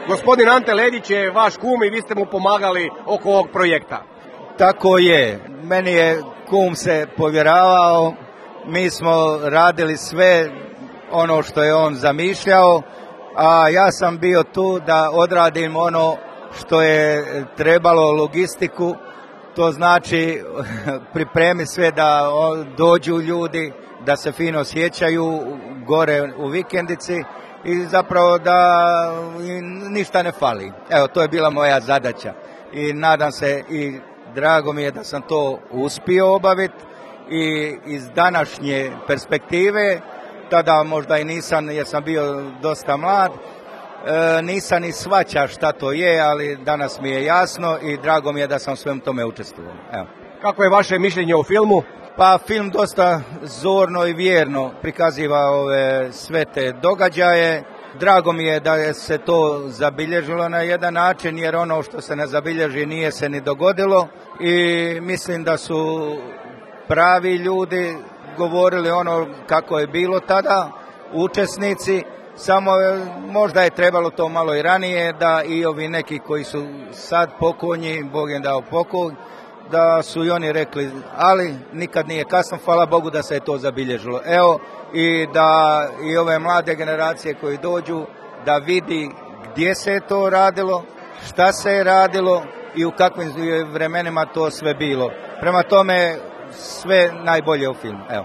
Gospodin Ante Ledić je vaš kum i vi ste mu pomagali oko ovog projekta. Tako je. Meni je kum se povjeravao, mi smo radili sve ono što je on zamišljao, a ja sam bio tu da odradim ono što je trebalo, logistiku, to znači pripremi sve da dođu ljudi, da se fino sjećaju gore u vikendici i zapravo da ništa ne fali. Evo, to je bila moja zadaća i nadam se i drago mi je da sam to uspio obaviti i iz današnje perspektive, tada možda i nisam jer sam bio dosta mlad, nisam ni shvaća šta to je, ali danas mi je jasno i drago mi je da sam svem tome učestvovao. Evo. Kako je vaše mišljenje o filmu? Pa film dosta zorno i vjerno prikaziva ove sve te događaje. Drago mi je da je se to zabilježilo na jedan način, jer ono što se ne zabilježi nije se ni dogodilo i mislim da su pravi ljudi govorili ono kako je bilo tada, učesnici, samo možda je trebalo to malo i ranije da i ovi neki koji su sad pokojni, Bog im dao pokoj, da su i oni rekli, ali nikad nije kasno, hvala Bogu da se je to zabilježilo. Evo, i da i ove mlade generacije koji dođu da vidi gdje se je to radilo, šta se je radilo i u kakvim vremenima to sve bilo. Prema tome sve najbolje u filmu. Evo.